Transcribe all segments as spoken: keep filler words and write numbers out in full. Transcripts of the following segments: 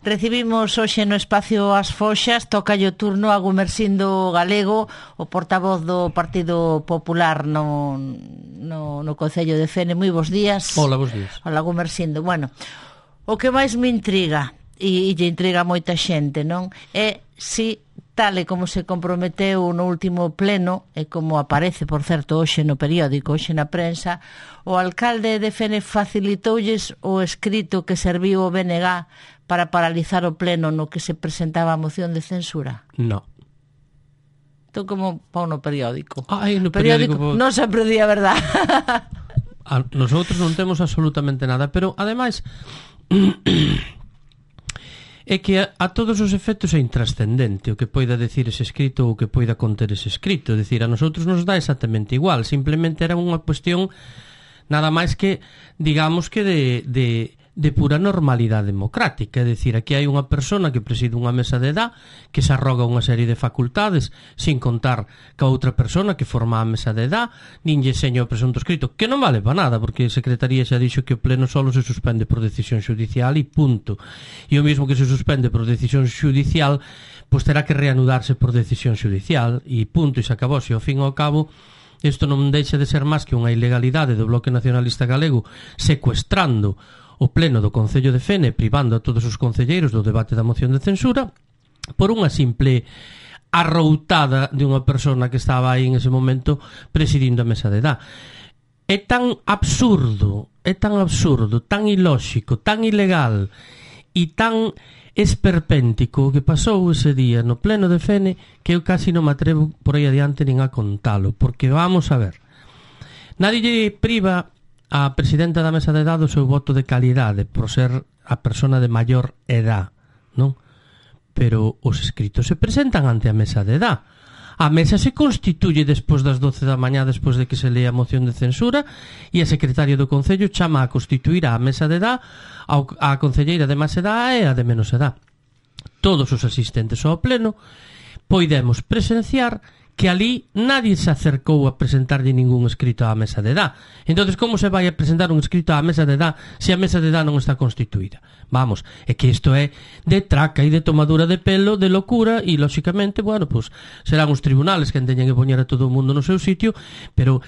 Recibimos hoxe no espacio As Foxas, toca o turno a Gumersindo Galego, o portavoz do Partido Popular no, no, no Concello de Fene. Moi bons días. Hola, bons días. Hola, Gumersindo. Bueno, o que máis me intriga, e, e lle intriga moita xente, non? É si, tal e como se comprometeu no último pleno, e como aparece, por certo, hoxe no periódico, hoxe na prensa, o alcalde de Fene facilitoulles o escrito que serviu o B N G para paralizar o pleno no que se presentaba a moción de censura? No. Entón, como pau no periódico? Ai, no periódico... periódico non sempre di a verdad. A nosotros non temos absolutamente nada, pero, ademais, é que a, a todos os efectos é intrascendente o que poida decir ese escrito ou o que poida conter ese escrito. É dicir, a nosotros nos dá exactamente igual. Simplemente era unha cuestión nada máis que, digamos que de... de de pura normalidade democrática. É dicir, aquí hai unha persona que preside unha mesa de edad que se arroga unha serie de facultades sin contar ca outra persona que forma a mesa de edad, nin lle seña o presunto escrito, que non vale para nada, porque a Secretaría xa dixo que o pleno solo se suspende por decisión xudicial e punto. E o mismo que se suspende por decisión xudicial, pois terá que reanudarse por decisión xudicial e punto, e se acabou. Se ao fin e ao cabo isto non deixa de ser máis que unha ilegalidade do Bloque Nacionalista Galego secuestrando o pleno do Concello de Fene, privando a todos os concelleiros do debate da moción de censura por unha simple arroutada de unha persona que estaba aí en ese momento presidindo a mesa de edad. É tan absurdo, é tan absurdo, tan ilóxico, tan ilegal e tan esperpéntico que pasou ese día no pleno de Fene que eu casi non me atrevo por aí adiante nin a contalo, porque vamos a ver, nadie lle priva a presidenta da mesa de edad o seu voto de calidade por ser a persona de maior edad, non? Pero os escritos se presentan ante a mesa de edad. A mesa se constituye despois das doce da mañá, despois de que se lea a moción de censura, e a secretaria do Concello chama a constituir a mesa de edad a concelleira de máis edad e a de menos edad. Todos os asistentes ao pleno poidemos presenciar que ali nadie se acercou a presentarlle ningún escrito á mesa de edad. Entonces, como se vai a presentar un escrito á mesa de edad se a mesa de edad non está constituída? Vamos, é que isto é de traca e de tomadura de pelo, de locura, e, lóxicamente, bueno, pues, serán os tribunales que teñen que poñer a todo o mundo no seu sitio, pero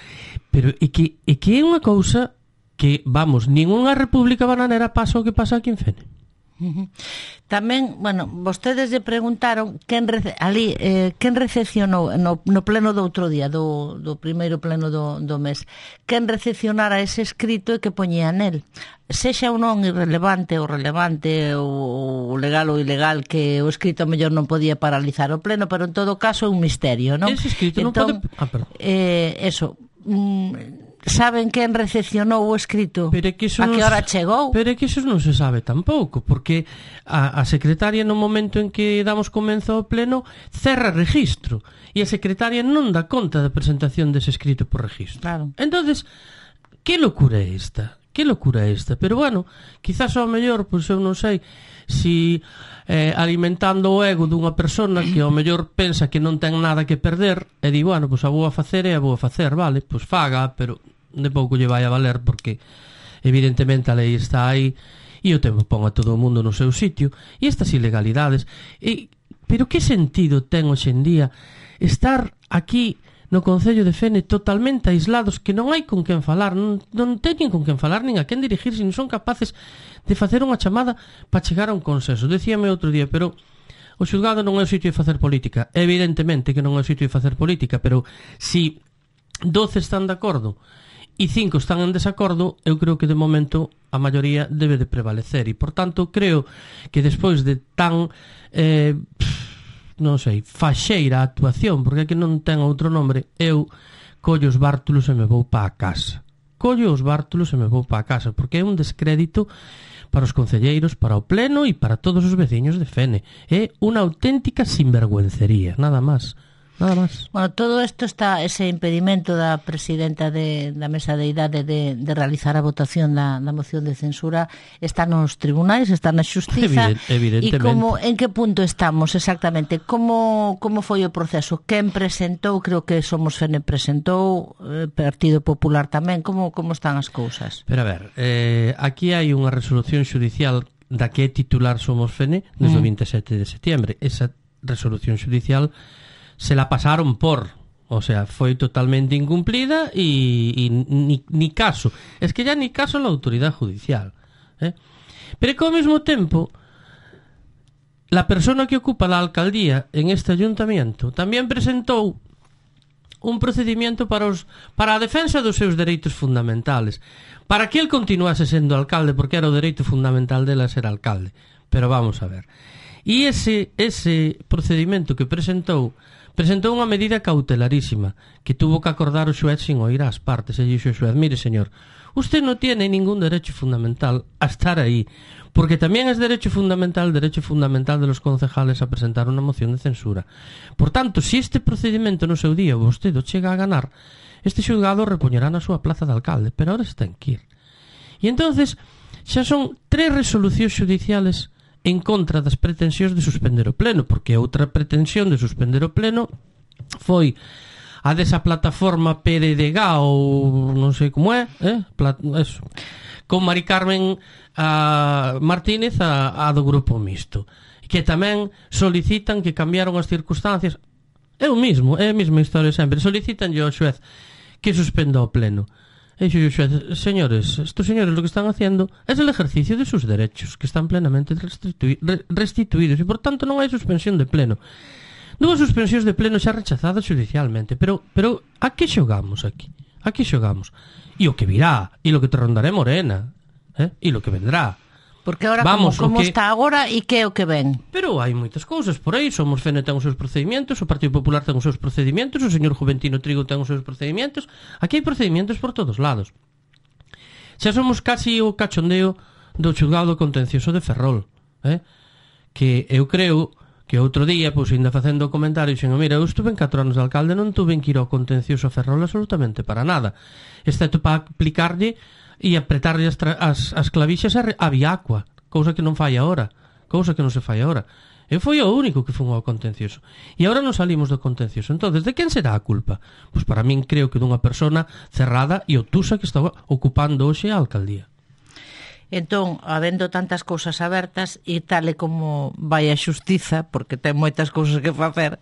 pero é que é que é unha cousa que, vamos, ningunha república bananera pasa o que pasa aquí en Fene. Tamén, bueno, vostedes lle preguntaron quen rece, ali, eh, quen recepcionou no, no pleno do outro día, do, do primeiro pleno do, do mes, quen recepcionara ese escrito e que poñía nel, sexa ou non irrelevante ou relevante ou legal ou ilegal, que o escrito mellor non podía paralizar o pleno, pero en todo caso é un misterio, non? Ese escrito entón, non pode... Ah, perdón. Eh, eso... Mm, saben quen recepcionou o escrito? Pero é que a que hora chegou? Pero é que iso non se sabe tampouco, porque a, a secretaria no momento en que damos comenzo ao pleno cerra registro, e a secretaria non dá conta da presentación dese escrito por registro. Claro. Entonces, que locura é esta? Que locura é esta? Pero bueno, quizás ao mellor, pois eu non sei, si eh, alimentando o ego dunha persona que ao mellor pensa que non ten nada que perder e di, bueno, pois a vou a facer e a vou a facer, vale, pois faga, pero de pouco lle vai a valer, porque evidentemente a lei está aí e o tempo pon a todo o mundo no seu sitio, e estas ilegalidades e, pero que sentido ten hoxe en día estar aquí no Concello de Fene totalmente aislados, que non hai con quen falar, non, non teñen con quen falar nin a quen dirigirse, non son capaces de facer unha chamada para chegar a un consenso. Decíame outro día, pero o xulgado non é o sitio de facer política. Evidentemente que non é o sitio de facer política, pero si doce están de acordo e cinco están en desacordo, eu creo que de momento a maioría debe de prevalecer, e por tanto creo que despois de tan eh, non sei, faxeira a actuación, porque é que non ten outro nombre, eu collo os bártulos e me vou pa a casa. Collo os bártulos e me vou pa a casa, porque é un descrédito para os concelleiros, para o pleno e para todos os veciños de Fene. É unha auténtica sinvergüencería, nada máis. Nada máis. Bueno, todo isto está, ese impedimento da presidenta de, da mesa de idade de, de realizar a votación da, da moción de censura está nos tribunais, está na xustiza. Evident, evidentemente. E como, en que punto estamos exactamente? Como, como foi o proceso? Quen presentou? Creo que Somos Fene presentou, eh, Partido Popular tamén. Como, como están as cousas? Pero a ver, eh, aquí hai unha resolución xudicial da que é titular Somos Fene desde mm. o vinte e sete de setiembre. Esa resolución judicial se la pasaron por, o sea, foi totalmente incumplida y, y ni, ni caso. Es que ya ni caso la autoridad judicial, ¿eh? Pero que ao mesmo tempo la persona que ocupa la alcaldía en este ayuntamiento tamén presentou un procedimiento para os para a defensa dos seus dereitos fundamentales, para que el continuase sendo alcalde, porque era o dereito fundamental dela ser alcalde. Pero vamos a ver. E ese ese procedimento que presentou presentou unha medida cautelarísima que tuvo que acordar o xuez sin oír ás partes. E dixo o xuez: mire, señor, usted no tiene ningún derecho fundamental a estar aí, porque tamén es derecho fundamental, derecho fundamental de los concejales a presentar unha moción de censura. Por tanto, si este procedimento no seu día vostede chega a ganar, este xulgado repoñerá na súa plaza de alcalde, pero ahora está en Quir. E entonces xa son tres resolucións judiciales en contra das pretensións de suspender o pleno, porque outra pretensión de suspender o pleno foi a desa plataforma P R D G ou non sei como é, eh? Plat eso. Con Mari Carmen a Martínez a, a do grupo mixto, que tamén solicitan que cambiaron as circunstancias. É o mismo, é a mesma historia sempre. Solicitan ao xuez que suspenda o pleno. E dixo o xuez: señores, estos señores lo que están haciendo es el ejercicio de sus derechos, que están plenamente restitui restituídos, e por tanto non hai suspensión de pleno. Dúas suspensións de pleno xa rechazadas judicialmente, pero pero a que xogamos aquí? A que xogamos? E o que virá, e lo que te rondaré morena, eh? E lo que vendrá. Porque ahora Vamos, como, como que... está agora e que é o que ven. Pero hai moitas cousas por aí. Somos Fene ten os seus procedimentos, o Partido Popular ten os seus procedimentos, o señor Juventino Trigo ten os seus procedimentos. Aquí hai procedimentos por todos lados. Xa somos casi o cachondeo do xulgado contencioso de Ferrol, eh? Que eu creo que outro día, pois, ainda facendo o comentario, dixen: mira, eu estuve en catro anos de alcalde, non tuve que ir ao contencioso a Ferrol absolutamente para nada, excepto para aplicarlle e apretarlle as, as, as clavixas a, a Viacua, cousa que non fai agora, cousa que non se fai agora. Eu foi o único que fun ao contencioso. E agora non salimos do contencioso. Entonces, de quen será a culpa? Pois para min creo que dunha persona cerrada e obtusa que está ocupando hoxe a alcaldía. Entón, habendo tantas cousas abertas e tal e como vai a xustiza, porque ten moitas cousas que facer,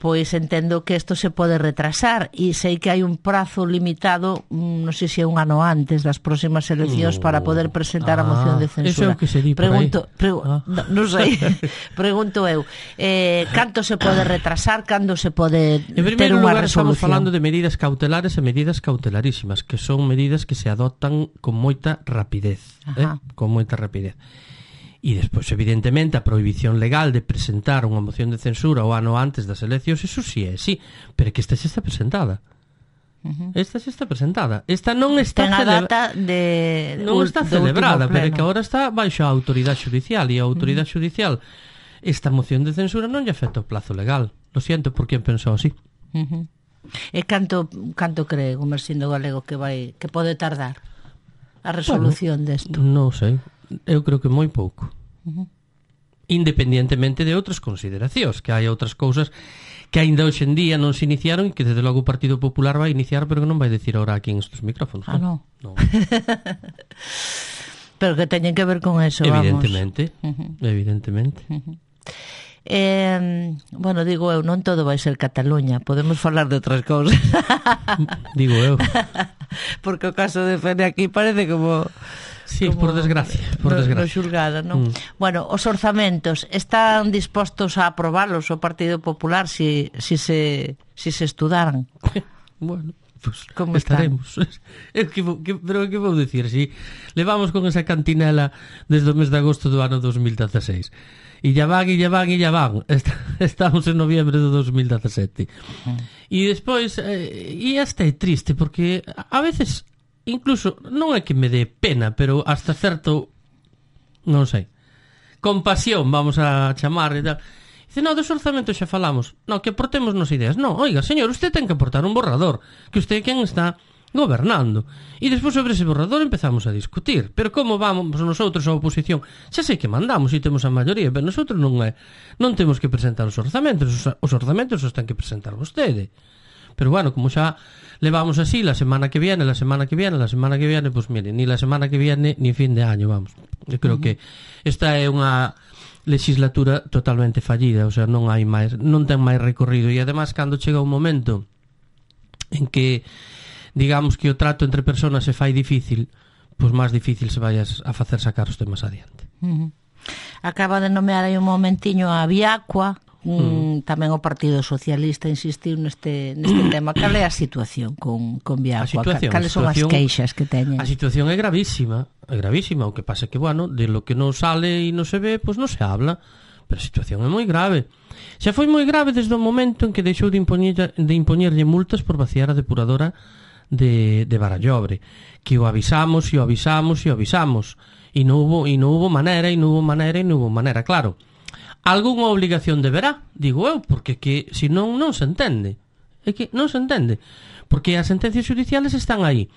pois entendo que isto se pode retrasar, e sei que hai un prazo limitado, non sei se é un ano antes das próximas eleccións, no. para poder presentar ah, a moción de censura. Eso é o que se di por Pregunto, aí. Pregu ah. non no sei, pregunto eu, eh, canto se pode retrasar, cando se pode ter unha resolución? En primeiro lugar, estamos falando de medidas cautelares e medidas cautelarísimas, que son medidas que se adoptan con moita rapidez, eh? con moita rapidez. E despois, evidentemente, a prohibición legal de presentar unha moción de censura o ano antes das eleccións, eso sí é, sí, pero que esta xa está presentada. Uh -huh. Esta xa está presentada. Esta non está Ten a data de non está celebrada, pero que agora está baixo a autoridade judicial, e a autoridade uh -huh. judicial esta moción de censura non lle afecta o plazo legal. Lo siento por quen pensou así. Uh -huh. E canto canto cree Gumersindo Galego que vai que pode tardar a resolución bueno, desto? Non sei. Eu creo que moi pouco. Uh -huh. Independientemente de outras consideracións, que hai outras cousas que aínda hoxe en día non se iniciaron e que desde logo o Partido Popular vai iniciar, pero que non vai decir ahora aquí en estes micrófonos. Ah, non? No. Pero que teñen que ver con eso, evidentemente, vamos. Uh -huh. Evidentemente. Uh -huh. Eh, bueno, digo eu, non todo vai ser Cataluña, podemos falar de outras cousas. Digo eu. Porque o caso de Fene aquí parece como... Sí, por desgracia, por no, desgracia. No xulgado, non? Mm. Bueno, os orzamentos están dispostos a aprobalos o Partido Popular si, si, se, si se estudaran? Bueno, pues como estaremos. Eu que, que, pero que vou dicir, si levamos con esa cantinela desde o mes de agosto do ano dos mil dieciséis. E ya van, e ya van, e ya van. Estamos en noviembre do dos mil diecisiete. Mm. E despois, eh, e hasta é triste, porque a veces... Incluso, non é que me dé pena, pero hasta certo, non sei, compasión, vamos a chamar e tal. Dice, no, dos orzamentos xa falamos. No, que aportemos nos ideas. No, oiga, señor, usted ten que aportar un borrador, que usted é quen está gobernando. E despois sobre ese borrador empezamos a discutir. Pero como vamos nosotros a oposición? Xa sei que mandamos e temos a maioría, pero nosotros non é, non temos que presentar os orzamentos, os, os orzamentos os ten que presentar vostede. Pero bueno, como xa levamos así la semana que viene, la semana que viene, la semana que viene, pues mire, ni la semana que viene ni fin de año, vamos. Eu creo uh-huh. que esta é unha legislatura totalmente fallida, o sea, non hai máis, non ten máis recorrido, e además cando chega un momento en que digamos que o trato entre persoas se fai difícil, pois máis difícil se vai a facer sacar os temas adiante. Uh-huh. Acaba de nomear aí un momentiño a Viacua, mm. tamén o Partido Socialista insistiu neste, neste tema. Cal é a situación con, con Viacua? Cales son as queixas que teñen? A situación é gravísima, é gravísima, o que pasa que, bueno, de lo que non sale e non se ve, pois non se habla, pero a situación é moi grave. Xa foi moi grave desde o momento en que deixou de, impoñer, de impoñerlle multas por vaciar a depuradora de, de Barallobre, que o avisamos e o avisamos e o avisamos, e non hubo, e non hubo maneira, e non hubo maneira, e non hubo maneira, claro. Algúnha obligación deberá, digo eu, porque que se non, non se entende. É que non se entende, porque as sentencias judiciales están aí.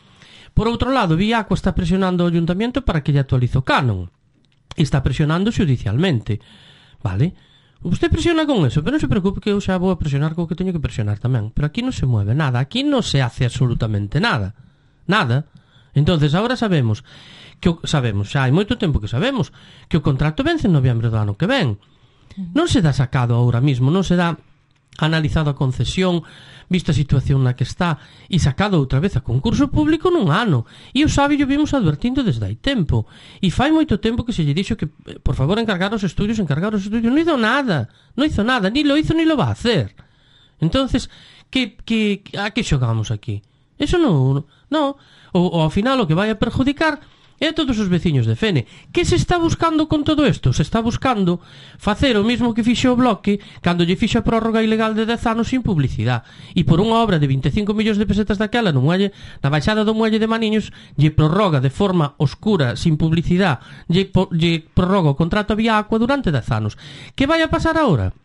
Por outro lado, Viacua está presionando o Ayuntamiento para que lle actualice o canon. E está presionando judicialmente. Vale? Usted presiona con eso, pero non se preocupe que eu xa vou a presionar co que teño que presionar tamén. Pero aquí non se mueve nada, aquí non se hace absolutamente nada. Nada. Entonces, agora sabemos que o, sabemos, xa hai moito tempo que sabemos que o contrato vence en noviembre do ano que ven. Non se dá sacado ahora mismo, non se dá analizado a concesión, visto a situación na que está, e sacado outra vez a concurso público nun ano. E o sabe, yo vimos advertindo desde hai tempo. E fai moito tempo que se lle dixo que, por favor, encargar os estudios, encargar os estudios. Non hizo nada, non hizo nada, ni lo hizo ni lo va a hacer. Entonces, que, que, a que xogamos aquí? Eso non, non. O, o ao final o que vai a perjudicar é a todos os veciños de Fene. Que se está buscando con todo isto? Se está buscando facer o mismo que fixo o Bloque cando lle fixo a prórroga ilegal de dez anos sin publicidade. E por unha obra de vinte e cinco millóns de pesetas daquela no muelle, na baixada do muelle de Maniños, lle prorroga de forma oscura, sin publicidade, lle, lle prorroga o contrato a Viacua durante dez anos. Que vai a pasar agora?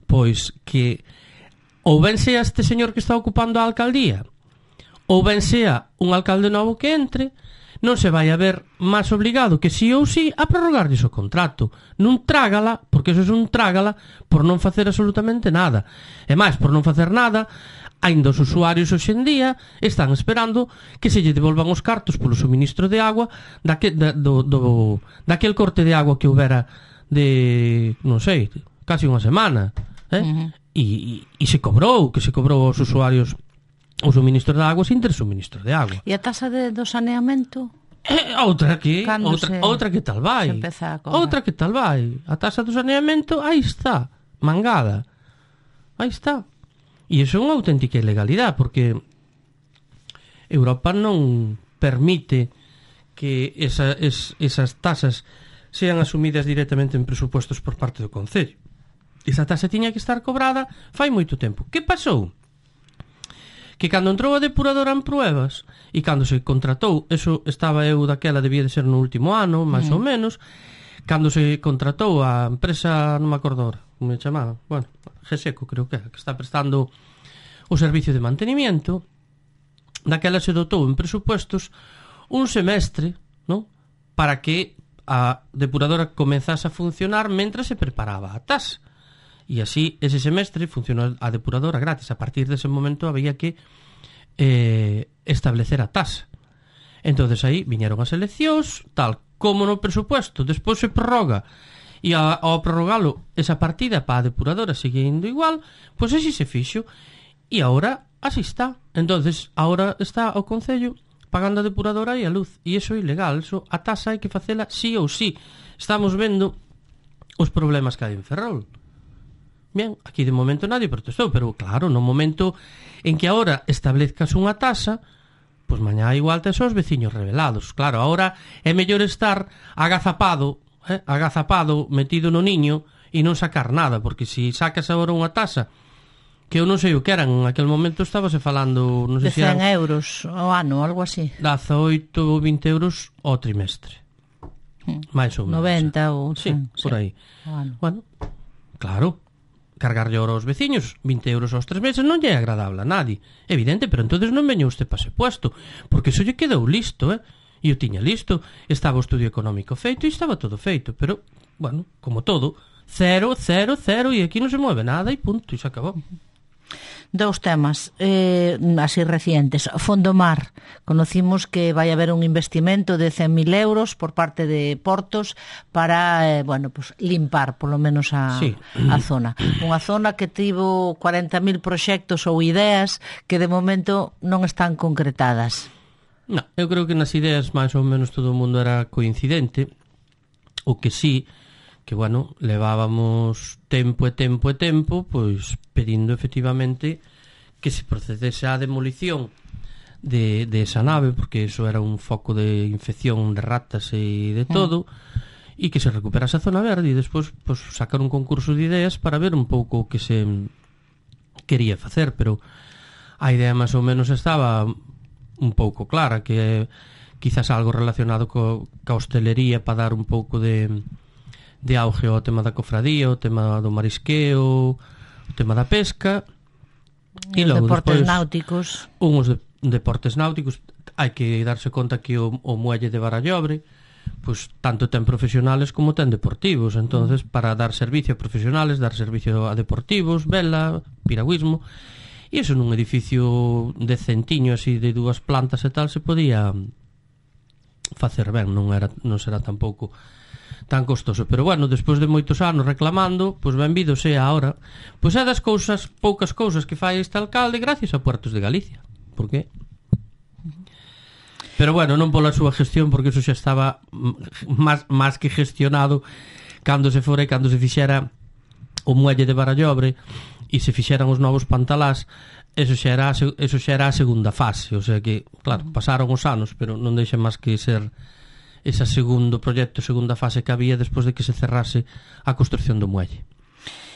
Pois que ou ben sea este señor que está ocupando a alcaldía, ou ben sea un alcalde novo que entre, non se vai a ver máis obligado que si ou si a prorrogarlles o contrato. Non trágala, porque eso é un trágala por non facer absolutamente nada. E máis, por non facer nada, aínda os usuarios hoxe en día están esperando que se lle devolvan os cartos polo suministro de agua daque, da, do, do, daquel corte de agua que houbera de, non sei, casi unha semana. Eh? Uh-huh. E, e, e se cobrou, que se cobrou aos usuarios o suministro de agua sin ter suministro de agua. E a taxa de, do saneamento? Eh, outra que outra, outra que tal vai. Outra que tal vai. A taxa do saneamento aí está, mangada. Aí está. E iso é unha auténtica ilegalidade, porque Europa non permite que esa, es, esas tasas sean asumidas directamente en presupuestos por parte do Concello. Esa taxa tiña que estar cobrada fai moito tempo. Que pasou? Que cando entrou a depuradora en pruebas e cando se contratou, eso estaba eu daquela, debía de ser no último ano, máis mm. ou menos, cando se contratou a empresa, non me acordo ahora, como me chamaba, bueno, Geseco creo que é, que está prestando o servicio de mantenimiento, daquela se dotou en presupuestos un semestre, non? Para que a depuradora comenzase a funcionar mentras se preparaba a tasa. E así, ese semestre funcionou a depuradora gratis. A partir dese momento había que eh, establecer a tasa. Entonces aí viñeron as eleccións, tal como no presupuesto, despois se prorroga, e a, ao prorrogalo esa partida para a depuradora sigue indo igual, pois así se fixo, e agora así está. Entonces agora está o Concello pagando a depuradora e a luz, e iso é ilegal. Eso, a tasa hai que facela sí ou sí. Estamos vendo os problemas que hai en Ferrol. Bien, aquí de momento nadie protestou, pero claro, no momento en que agora establezcas unha tasa, pois mañá igual tes os veciños rebelados. Claro, agora é mellor estar agazapado, eh, agazapado, metido no niño e non sacar nada, porque se sacas agora unha tasa que eu non sei o que eran, en aquel momento estábase falando, non sei de cen euros ao ano, algo así. dezaoito ou vinte euros ao trimestre. Hmm. Mais ou menos. noventa ou sí, por aí. Sí. Bueno, claro, cargarlle ora aos veciños vinte euros aos tres meses non lle é agradable a nadie, evidente, pero entonces non veño usted para ese puesto, porque iso lle quedou listo, eh? E eu tiña listo, estaba o estudio económico feito e estaba todo feito, pero, bueno, como todo, cero, cero, cero, e aquí non se mueve nada e punto, e se acabou. Dous temas eh, así recientes. Fondomar, conocimos que vai haber un investimento de cen mil euros por parte de Portos para, eh, bueno, pues limpar polo menos a, sí. a zona. Unha zona que tivo cuarenta mil proxectos ou ideas que de momento non están concretadas. No, eu creo que nas ideas máis ou menos todo o mundo era coincidente. O que sí, que, bueno, levábamos tempo e tempo e tempo pois pedindo efectivamente que se procedese á demolición de, de esa nave, porque eso era un foco de infección de ratas e de todo, e mm. que se recuperase a zona verde e despois pois, sacar un concurso de ideas para ver un pouco o que se quería facer, pero a idea máis ou menos estaba un pouco clara, que quizás algo relacionado co, ca hostelería para dar un pouco de de auge ao tema da cofradía, o tema do marisqueo, o tema da pesca e os deportes despois, náuticos. Uns de, deportes náuticos, hai que darse conta que o, o muelle de Barallobre pois tanto ten profesionales como ten deportivos, entonces para dar servicio a profesionales, dar servicio a deportivos, vela, piragüismo, e iso nun edificio decentiño así de dúas plantas e tal se podía facer ben, non era non será tampouco tan costoso, pero bueno, despois de moitos anos reclamando, pois benvido sea ahora, pois é das cousas, poucas cousas que fai este alcalde gracias a Puertos de Galicia. Por qué? Pero bueno, non pola súa gestión, porque eso xa estaba máis, máis que gestionado cando se fora e cando se fixera o muelle de Barallobre e se fixeran os novos pantalás, eso xa era, eso xa era a segunda fase, o sea que, claro, pasaron os anos, pero non deixa máis que ser ese segundo proxecto, segunda fase que había despois de que se cerrase a construcción do muelle.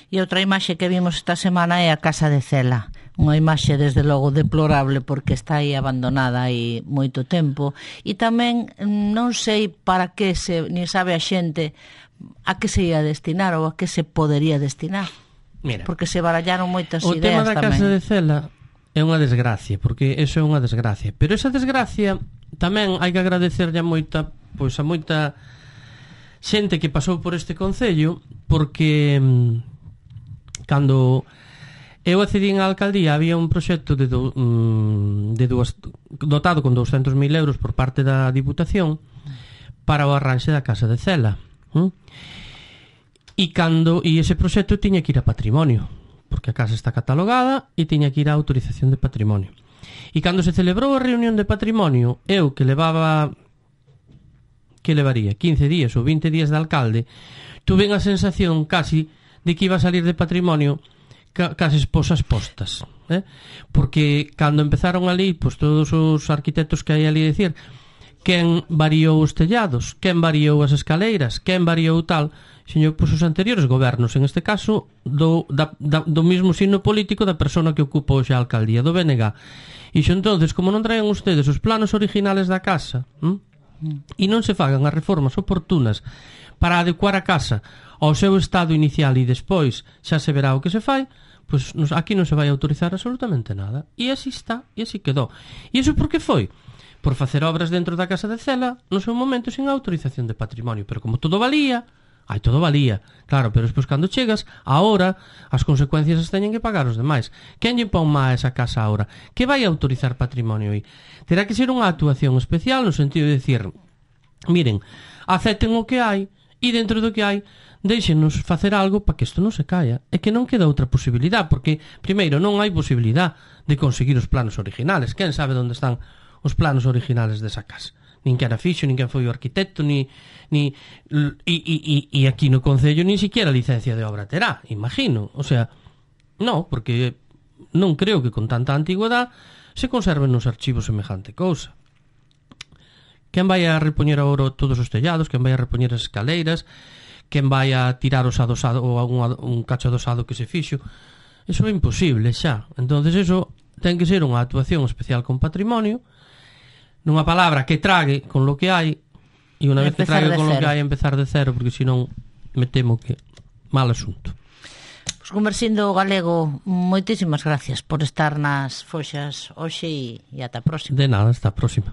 E outra imaxe que vimos esta semana é a Casa de Cela, unha imaxe desde logo deplorable porque está aí abandonada hai moito tempo, e tamén non sei para que se, ni sabe a xente a que se ia destinar ou a que se podería destinar. Mira, porque se barallaron moitas ideas tamén. O tema da Casa de Cela é unha desgracia, porque eso é unha desgracia, pero esa desgracia tamén hai que agradecerlle a moita pois a moita xente que pasou por este concello, porque mm, cando eu accedín á alcaldía había un proxecto de, do, mm, de duas, dotado con douscentos mil euros por parte da Diputación para o arranxe da Casa de Cela, mm? e cando e ese proxecto tiña que ir a patrimonio, porque a casa está catalogada e tiña que ir a autorización de patrimonio, e cando se celebrou a reunión de patrimonio, eu que levaba que levaría quince días ou vinte días de alcalde, tuve a sensación casi de que iba a salir de patrimonio ca, case esposas postas, eh? Porque cando empezaron ali, pois todos os arquitectos que hai ali decir quen variou os tellados, quen variou as escaleiras, quen variou tal, señor, pois os anteriores gobernos, en este caso do, da, da, do mismo signo político da persona que ocupa hoxe a alcaldía, do B N G. E xo entonces, como non traen ustedes os planos originales da casa, hm? e non se fagan as reformas oportunas para adecuar a casa ao seu estado inicial e despois xa se verá o que se fai, pois nos, aquí non se vai autorizar absolutamente nada, e así está, e así quedou. E iso por que foi? Por facer obras dentro da Casa de Cela no seu momento sin autorización de patrimonio, pero como todo valía, ai, todo valía, claro, pero despois cando chegas, ahora as consecuencias as teñen que pagar os demais. Quen lle pon má esa casa ahora? Que vai autorizar patrimonio aí? Terá que ser unha actuación especial no sentido de decir, miren, acepten o que hai e dentro do que hai deixenos facer algo para que isto non se caia. É que non queda outra posibilidade, porque primeiro non hai posibilidade de conseguir os planos originales. Quen sabe onde están os planos originales desa casa? Nin que era fixo, nin que foi o arquitecto, ni, ni e, e, e aquí no concello nin siquiera licencia de obra terá, imagino. O sea, non, porque non creo que con tanta antigüedade se conserven nos archivos semejante cousa. Quen vai a repoñer agora todos os tellados, quen vai a repoñer as escaleiras, quen vai a tirar os adosado ou un, un cacho adosado que se fixo, eso é imposible xa. Entonces eso ten que ser unha actuación especial con patrimonio, nunha palabra que trague con lo que hai, e unha vez que trague con lo que hai empezar de cero, porque senón me temo que mal asunto. Pois Gumersindo Galego, moitísimas gracias por estar nas Foxas hoxe e, e ata a próxima. De nada, hasta a próxima.